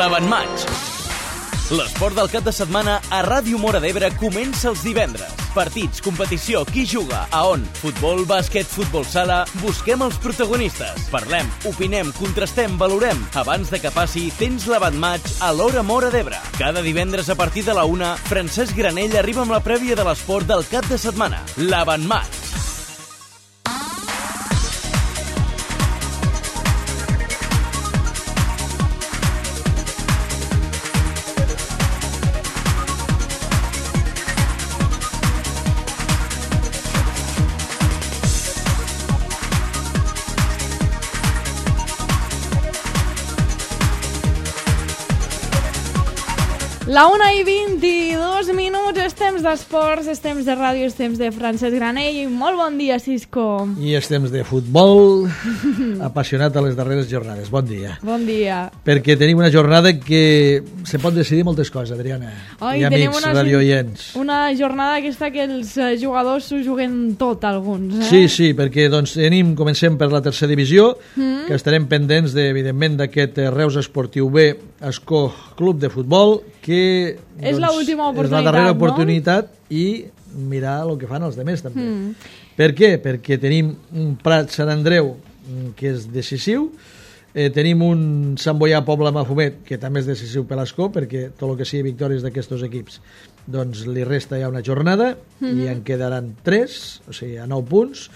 l'Avantmatch. L'esport del cap de setmana a Ràdio Móra d'Ebre comença els divendres. Partits, competició, qui juga, a on, futbol, bàsquet, futbol sala... Busquem els protagonistes. Parlem, opinem, contrastem, valorem. Abans de que passi, tens l'Avantmatch a l'Hora Móra d'Ebre. Cada divendres a partir de la 1, Francesc Granell arriba amb la prèvia de l'esport del cap de setmana. L'Avantmatch. La 1:22 minuts, és temps d'esports, és temps de ràdio, és temps de Francesc Granell. Molt bon dia, Cisco. I és temps de futbol, apassionat a les darreres jornades. Bon dia. Bon dia. Perquè tenim una jornada que se pot decidir moltes coses, Adriana. Oi, i amics radioients. Una jornada aquesta que els jugadors s'ho juguen tot, alguns. Sí, perquè comencem per la tercera divisió, que estarem pendents, evidentment, d'aquest Reus Esportiu B Escó Club de Futbol, que és l'última oportunitat, és la darrera oportunitat, no? I mirar el que fan els demés també. Per què? Perquè tenim un Prat Sant Andreu que és decisiu, tenim un Sant Boià Pobla Mafumet que també és decisiu per l'Escó, perquè tot el que sigui victòries d'aquests equips doncs li resta ja una jornada i en quedaran 3, o sigui a 9 punts.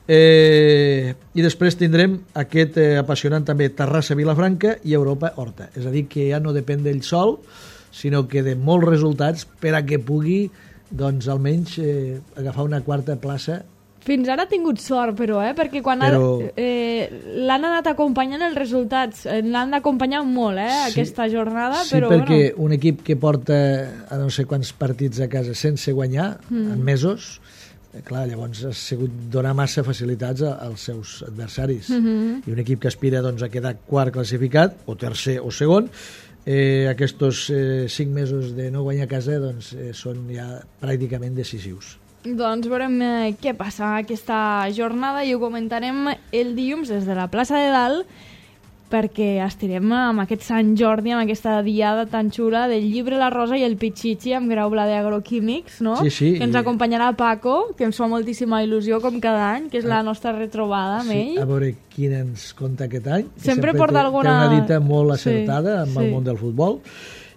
I després tindrem aquest apassionant també Terrassa-Vilafranca i Europa-Horta, és a dir, que ja no depèn d'ell sol, sinó que de molts resultats per a que pugui, doncs, almenys agafar una quarta plaça. Fins ara ha tingut sort, però, perquè l'han anat acompanyant els resultats, l'han d'acompanyar molt, aquesta jornada. Sí, però, perquè un equip que porta a no sé quants partits a casa sense guanyar en mesos, clar, llavors ha sigut donar massa facilitats als seus adversaris. I un equip que aspira doncs, a quedar quart classificat, o tercer o segon, aquests 5 mesos de no guanyar a casa doncs, són ja pràcticament decisius. Doncs veurem què passa aquesta jornada i ho comentarem el dilluns des de la plaça de Dalt, perquè estirem amb aquest Sant Jordi, amb aquesta diada tan xula del llibre La Rosa i el Pichichi amb Graupla d'Agroquímics, no? Sí, que ens acompanyarà Paco, que ens fa moltíssima il·lusió com cada any, que és la nostra retrobada amb ell. A veure quin ens conta aquest any. Sempre porta alguna... Té una dita molt acertada amb el món del futbol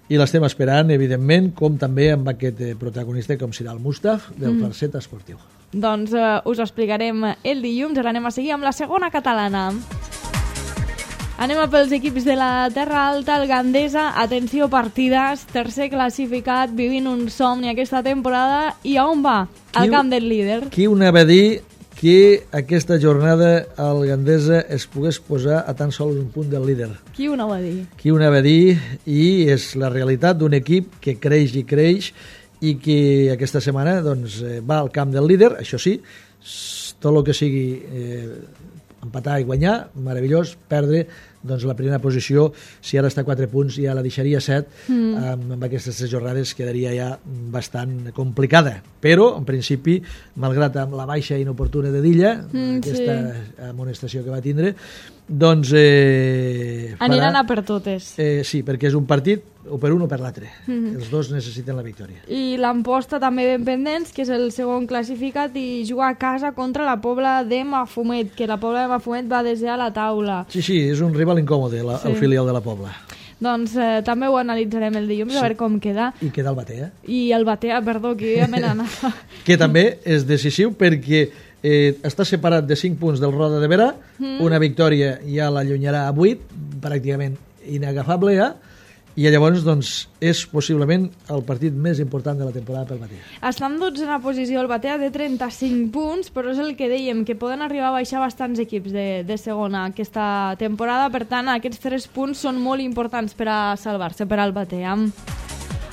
i l'estem esperant, evidentment, com també amb aquest protagonista com serà el Mustaf del Farset Esportiu. Doncs us ho explicarem el dilluns, ara anem a seguir amb la segona catalana. Anem a pels equips de la Terra Alta, el Gandesa, atenció partides, tercer classificat, vivint un somni aquesta temporada, i a on va? Al camp del líder. Qui ho anava a dir que aquesta jornada el Gandesa es pogués posar a tan sols un punt del líder? Qui ho anava a dir? Qui ho anava a dir, i és la realitat d'un equip que creix i creix i que aquesta setmana doncs, va al camp del líder, això sí, tot el que sigui empatar i guanyar, meravellós, perdre, doncs la primera posició, si ara està a 4 punts, ja la deixaria 7, amb aquestes 3 jornades quedaria ja bastant complicada. Però, en principi, malgrat amb la baixa inoportuna de Dilla, aquesta amonestació que va tindre, doncs... aniran a per totes. Sí, perquè és un partit o per un o per l'altre. Els dos necessiten la victòria. I l'Amposta també ben pendents, que és el segon classificat, i jugar a casa contra la Pobla de Mafumet, que la Pobla de Mafumet va desar a la taula. Sí, és un rival incòmode, el filial de la Pobla. Doncs també ho analitzarem el dilluns, a veure com queda. I queda el Batea. I el Batea, perdó, que ja me n'anava. Que també és decisiu perquè està separat de 5 punts del Roda de Berà, una victòria ja l'allunyarà a 8, pràcticament inagafable ja, i llavors doncs, és possiblement el partit més important de la temporada pel Batea. Està en 12a posició el Batea, de 35 punts, però és el que dèiem, que poden arribar a baixar bastants equips de segona aquesta temporada, per tant aquests 3 punts són molt importants per a salvar-se per al Batea.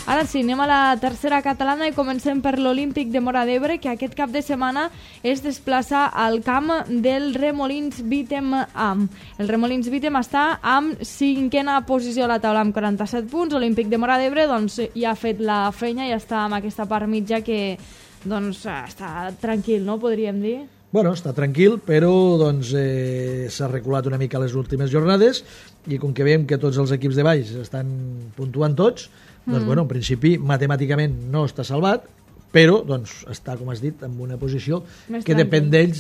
Ara sí, anem a la tercera catalana i comencem per l'Olímpic de Móra d'Ebre, que aquest cap de setmana es desplaça al camp del Remolins Bítem Am. El Remolins Bítem està amb 5a posició a la taula amb 47 punts. L'Olímpic de Móra d'Ebre doncs, ja ha fet la feina i està amb aquesta part mitja que doncs, està tranquil, no? Podríem dir. Bueno, està tranquil, però doncs, s'ha reculat una mica les últimes jornades i com que veiem que tots els equips de baix estan puntuant tots, doncs, bueno, en principi, matemàticament no està salvat, però doncs, està, com has dit, en una posició Més que tranquil. depèn d'ells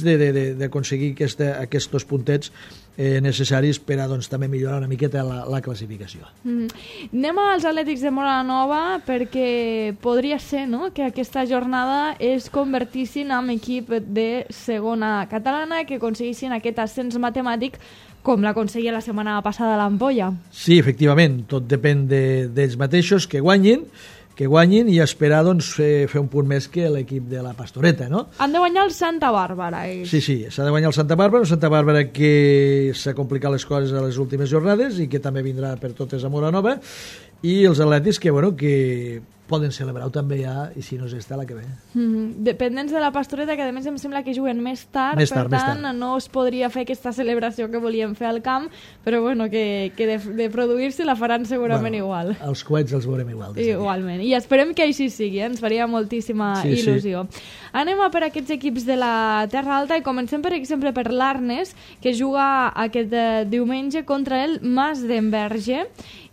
d'aconseguir aquests puntets necessaris per a doncs, també millorar una miqueta la classificació. Anem als Atlètics de Móra la Nova perquè podria ser, no?, que aquesta jornada es convertissin en equip de segona catalana, que aconseguissin aquest ascens matemàtic com l'aconseguia la setmana passada a l'Ampolla. Sí, efectivament, tot depèn d'ells mateixos, que guanyin i esperar doncs, fer un punt més que l'equip de la Pastoreta, no? Han de guanyar el Santa Bàrbara. Ells. Sí, s'ha de guanyar el Santa Bàrbara que s'ha complicat les coses a les últimes jornades i que també vindrà per totes a Móra Nova, i els Atlètics que poden celebrar-ho també ja, i si no és esta la que ve. Dependents de la Pastoreta, que a més em sembla que juguen més tard, per tant no es podria fer aquesta celebració que volíem fer al camp, però bueno, que de produir-se la faran segurament igual. Els coets els veurem igual. Igualment, i esperem que així sigui, ens faria moltíssima il·lusió. Anem a per aquests equips de la Terra Alta i comencem, per exemple, per l'Arnes, que juga aquest diumenge contra el Mas d'Enverge.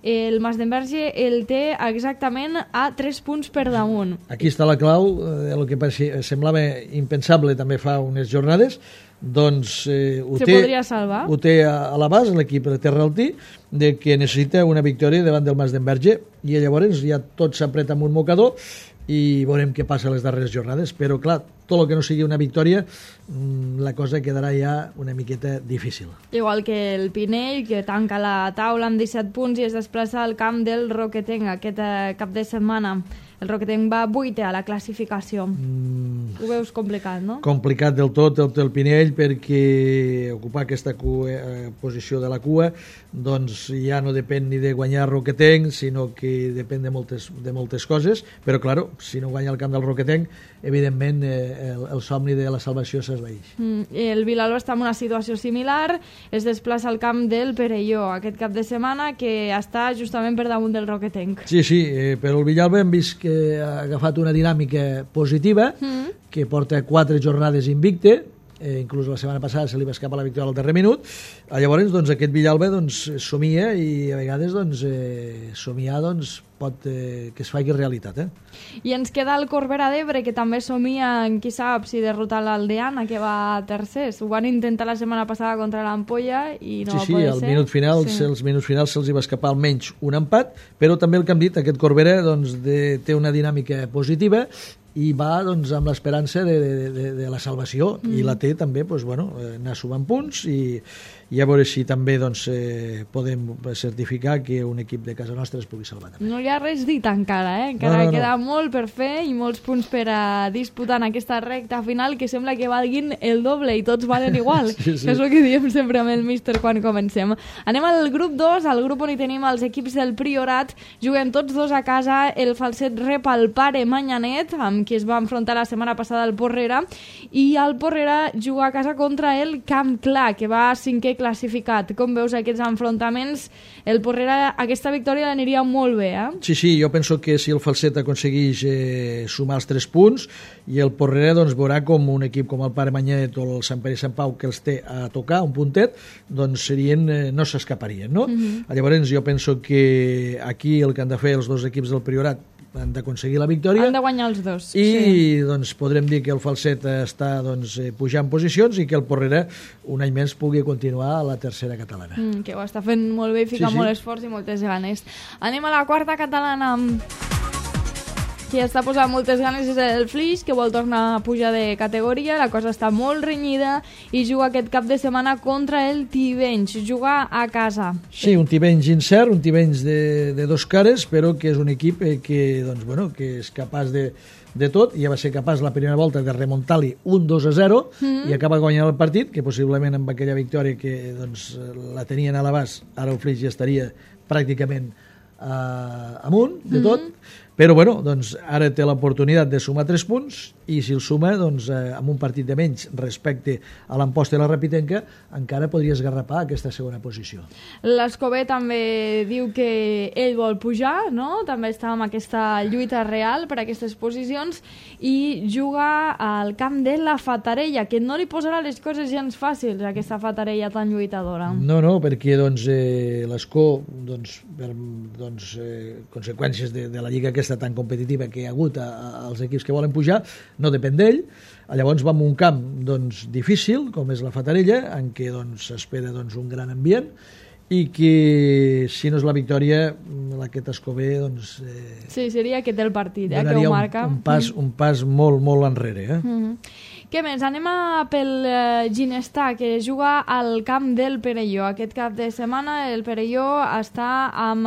El Mas d'Enverge el té exactament a 3 punts per damunt. Aquí està la clau, el que semblava impensable també fa unes jornades, doncs podria salvar. Ho té a l'abast l'equip de Terraltí, de que necessita una victòria davant del Mas d'Enverge, i llavors ja tot s'apreta amb un mocador i veurem què passa a les darreres jornades, però clar, tot el que no sigui una victòria, la cosa quedarà ja una miqueta difícil. Igual que el Pinell, que tanca la taula amb 17 punts i es desplaça al camp del Roquetenc aquest cap de setmana. El Roquetenc va 8è a la classificació. Ho veus complicat, no? Complicat del tot el Pinell, perquè ocupar aquesta posició de la cua doncs ja no depèn ni de guanyar Roquetenc, sinó que depèn de moltes coses, però claro, si no guanya el camp del Roquetenc, evidentment el somni de la salvació s'esvaeix. El Vilalba està en una situació similar, es desplaça al camp del Perelló aquest cap de setmana, que està justament per damunt del Roquetenc. Sí, però el Villalba hem vist que ha agafat una dinàmica positiva, que porta 4 jornades invicte, inclús la setmana passada se li va escapar la victòria al darrer minut. Llavors, doncs, aquest Villalba somia, i a vegades somiar pot que es faci realitat. I ens queda el Corbera d'Ebre, que també somia, qui sap, si derrotar l'Aldeana, que va tercers. Ho van intentar la setmana passada contra l'Ampolla i no va poder ser. Els minuts finals se'ls va escapar almenys un empat, però també el que hem dit, aquest Corbera té una dinàmica positiva i va amb l'esperança de la salvació, i la té també, anar sumant punts, i a veure si també podem certificar que un equip de casa nostra es pugui salvar també. No hi ha res dit encara, encara queda molt per fer i molts punts per a disputar en aquesta recta final, que sembla que valguin el doble i tots valen igual. Sí. És el que diem sempre amb el míster quan comencem. Anem al grup 2, al grup on hi tenim els equips del Priorat. Juguem tots dos a casa. El Falset rep el Pare Manyanet, amb qui es va enfrontar la setmana passada al Porrera, i el Porrera juga a casa contra el Camp Clar, que va 5è classificat. Com veus aquests enfrontaments? El Porrera, aquesta victòria l'aniria molt bé, Sí, jo penso que si el Falset aconsegueix sumar els 3 punts, i el Porrera veurà com un equip com el Pare Manyanet o el Sant Pere i Sant Pau, que els té a tocar un puntet, no s'escaparien, no? Llavors jo penso que aquí el que han de fer els dos equips del Priorat han d'aconseguir la victòria. Han de guanyar els dos. I podrem dir que el Falset està pujant posicions i que el Porrera un any més pugui continuar a la tercera catalana. Que ho està fent molt bé i fica molt esforç i moltes ganes. Anem a la quarta catalana. Qui està posant moltes ganes és el Flix, que vol tornar a pujar de categoria. La cosa està molt renyida i juga aquest cap de setmana contra el Tivenys. Juga a casa. Sí, un Tivenys incert, un Tivenys de dos cares, però que és un equip que és capaç de tot. Ja va ser capaç la primera volta de remuntar-li un 2-0 i acaba guanyant el partit, que possiblement amb aquella victòria que la tenien a l'abast, ara el Flix ja estaria pràcticament amunt de tot. Però, bueno, doncs, ara té l'oportunitat de sumar 3 punts i si el suma, doncs, amb un partit de menys respecte a l'Amposta i la Rapitenca, encara podria esgarrapar aquesta segona posició. L'Escobé també diu que ell vol pujar, no? També està amb aquesta lluita real per a aquestes posicions i juga al camp de la Fatarella, que no li posarà les coses gens fàcils a aquesta Fatarella tan lluitadora. No, perquè doncs, l'Escó, doncs, per conseqüències de la lliga aquesta tan competitiva que hi ha hagut als equips que volen pujar, no depèn d'ell. Llavors va a un camp doncs, difícil, com és la Fatarella, en què s'espera doncs, un gran ambient, i que si no és la victòria, aquest Escobé doncs, sí, seria aquest el partit, que ho marca. Un pas molt, molt enrere. Què més? Anem pel Ginestar, que juga al camp del Perelló. Aquest cap de setmana el Perelló està en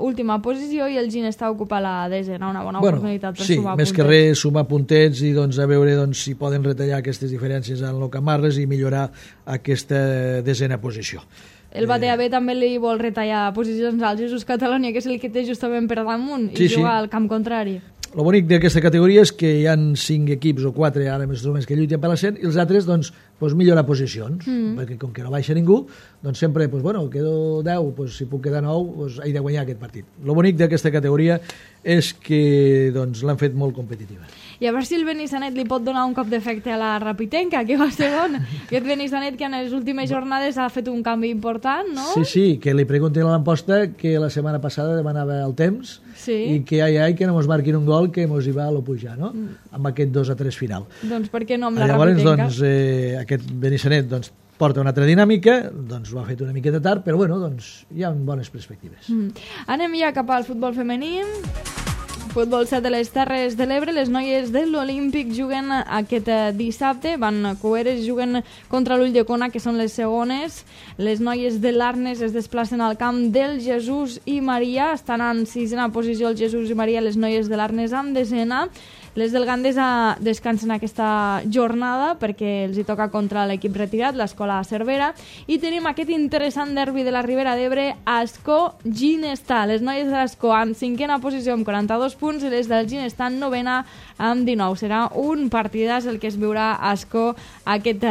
última posició i el Ginestar ocupa la 10ª, una bona oportunitat per sumar puntets. Sí, més que res sumar puntets i doncs, a veure si poden retallar aquestes diferències en el Camarles i millorar aquesta 10ª posició. El Batea B també li vol retallar posicions al Jesús Catalònia, que és el que té justament per damunt, i juga al camp contrari. El bonic d'aquesta categoria és que hi ha 5 equips o 4 ara més o menys que lluiten per l'ascens i els altres doncs, millorar posicions, perquè com que no baixa ningú, doncs sempre, quedo 10, si puc quedar 9, he de guanyar aquest partit. El bonic d'aquesta categoria és que l'han fet molt competitiva. I a veure si el Benissanet li pot donar un cop d'efecte a la Rapitenca, que va segon. Aquest Benissanet que en les últimes jornades ha fet un canvi important, no? Sí, que li preguntin a l'Amposta que la setmana passada demanava el temps i que que no mos marquin un gol que mos hi va a lo pujar, no? Amb aquest 2-3 final. Doncs per què no amb la Rapitenca? Llavors, aquest Benissanet porta una altra dinàmica, doncs ho ha fet una miqueta tard, però hi ha bones perspectives. Anem ja cap al futbol femení. Futbol 7 de les Terres de l'Ebre, les noies de l'Olímpic juguen aquest dissabte, van cueres, juguen contra l'Ulldecona, que són les segones. Les noies de l'Arnes es desplacen al camp del Jesús i Maria, estan en 6ª posició el Jesús i Maria, les noies de l'Arnes en 10ª. Les del Gandesa descansen aquesta jornada perquè els hi toca contra l'equip retirat, l'Escola Cervera, i tenim aquest interessant derbi de la Ribera d'Ebre, Ascó-Ginestar. Les noies de l'Ascó en 5ª posició amb 42 punts i les del Ginestar en 9ª amb 19. Serà un partidàs el que es veurà a Ascó aquest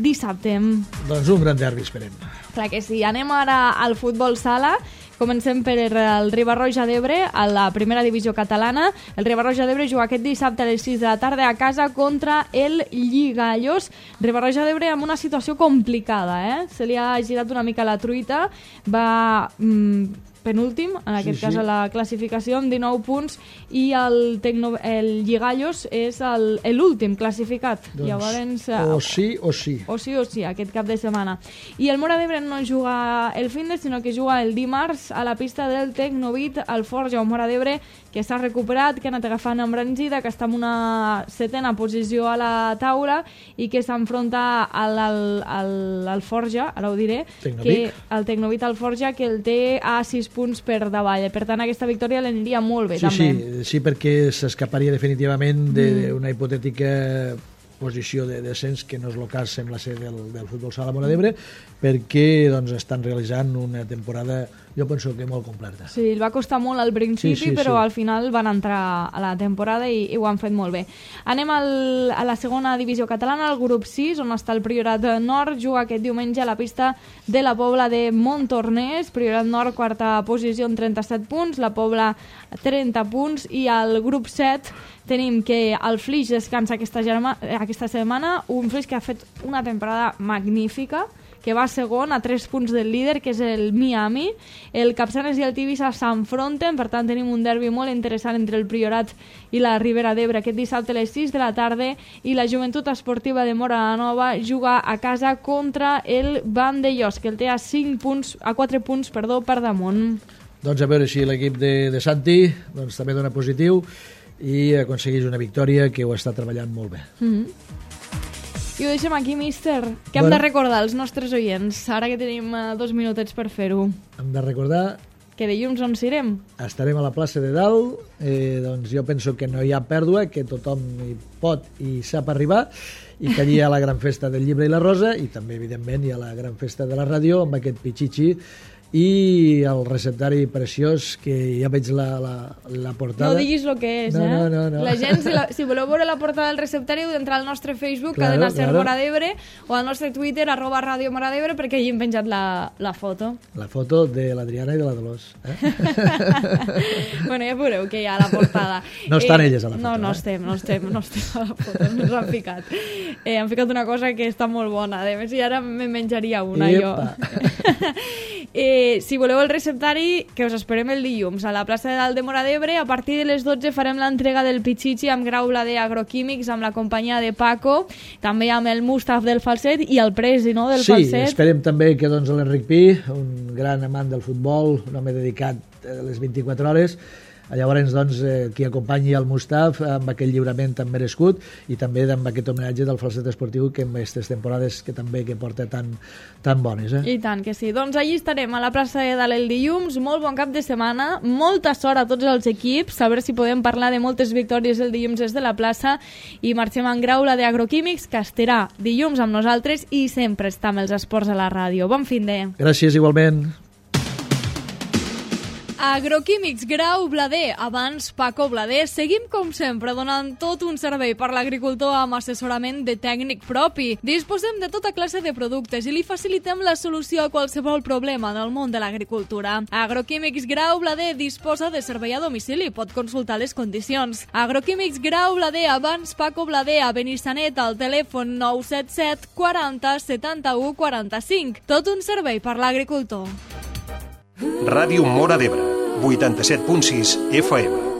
dissabte. Doncs un gran derbi, esperem. Clar que sí. Anem ara al futbol sala. Comencem per el Riba-roja d'Ebre, a la primera divisió catalana. El Riba-roja d'Ebre juga aquest dissabte a les 6 de la tarda a casa contra el Lligallos. Riba-roja d'Ebre amb una situació complicada, Se li ha girat una mica la truita. Va penúltim, en aquest cas a la classificació, amb 19 punts, i el Lligallos és l'últim classificat. Doncs, llavors, o sí o sí. O sí, aquest cap de setmana. I el Móra d'Ebre no juga el findes, sinó que juga el dimarts a la pista del Tecnovit al Forja, un Móra d'Ebre que s'ha recuperat, que ha anat agafant embranzida, que està en una 7ª posició a la taula i que s'enfronta al Forja, ara ho diré, el Tecnovit al Forja, que el té a 6 punts per davall. Per tant, aquesta victòria l'aniria molt bé, també. Sí, perquè s'escaparia definitivament d'una hipotètica posició de descens, que no és el cas, sembla ser, del futbol sala Móra d'Ebre, perquè estan realitzant una temporada, jo penso que molt completa. Sí, el va costar molt al principi, però al final van entrar a la temporada i ho han fet molt bé. Anem a la segona divisió catalana, al grup 6, on està el Priorat Nord, juga aquest diumenge a la pista de la Pobla de Montornès. Priorat Nord, 4a posició amb 37 punts, la Pobla 30 punts, i al grup 7 tenim que el Flix descansa aquesta setmana, un Flix que ha fet una temporada magnífica, que va segon a 3 punts del líder, que és el Miami. El Capçanes i el Tivissa s'enfronten, per tant tenim un derbi molt interessant entre el Priorat i la Ribera d'Ebre aquest dissabte a les 6 de la tarda, i la Joventut Esportiva de Móra Nova juga a casa contra el Vandellós, que el té a 4 punts per damunt. Doncs a veure si l'equip de Santi també dona positiu i aconsegueix una victòria, que ho està treballant molt bé. I ho deixem aquí, míster. Què hem de recordar als nostres oients, ara que tenim 2 minutets per fer-ho? Hem de recordar que dilluns on serem? Estarem a la plaça de Dalt, doncs jo penso que no hi ha pèrdua, que tothom hi pot i sap arribar, i que allí hi ha la gran festa del llibre i la rosa, i també, evidentment, hi ha la gran festa de la ràdio, amb aquest pitxitxi i el receptari preciós, que ja veig la portada. No diguis el que és, No. La gent, si voleu veure la portada del receptari, heu d'entrar al nostre Facebook, Cadena Ser Mora d'Ebre, o al nostre Twitter, @Radio Mora d'Ebre, perquè allí hem penjat la foto. La foto de l'Adriana i de la Dolors. Bueno, ja veureu que hi ha a la portada. No estan elles a la foto. No estem a la foto, no ens han ficat. Han ficat una cosa que està molt bona, a més, i ara me menjaria una jo. Si voleu el receptari, que us esperem el dilluns a la plaça de Dalt de Mora d'Ebre. A partir de les 12 farem l'entrega del Pichichi amb Grau Blader Agroquímics, amb la companyia de Paco, també amb el Mustaf del falset i el Presi, no?, del falset. Sí, esperem també que l'Enric Pi, un gran amant del futbol, un home dedicat a les 24 hores, llavors qui acompanyi el Mustaf amb aquell lliurament tan merescut i també amb aquest homenatge del falset esportiu que en aquestes temporades que també que porta tan bones. I tant que sí. Doncs allí estarem a la plaça de Dalt el dilluns. Molt bon cap de setmana, molta sort a tots els equips, a veure si podem parlar de moltes victòries el dilluns des de la plaça, i marxem en Graula d'Agroquímics, que estarà dilluns amb nosaltres i sempre està amb els esports a la ràdio. Bon fin de... Gràcies, igualment. Agroquímics Grau Blader, abans Paco Blader. Seguim com sempre donant tot un servei per l'agricultor amb assessorament de tècnic propi. Disposem de tota classe de productes i li facilitem la solució a qualsevol problema del món de l'agricultura. Agroquímics Grau Blader disposa de servei a domicili, pot consultar les condicions. Agroquímics Grau Blader, abans Paco Blader, a Benissanet, al telèfon 977 40 71 45. Tot un servei per l'agricultor. Ràdio Mora d'Ebre, 87.6 FM.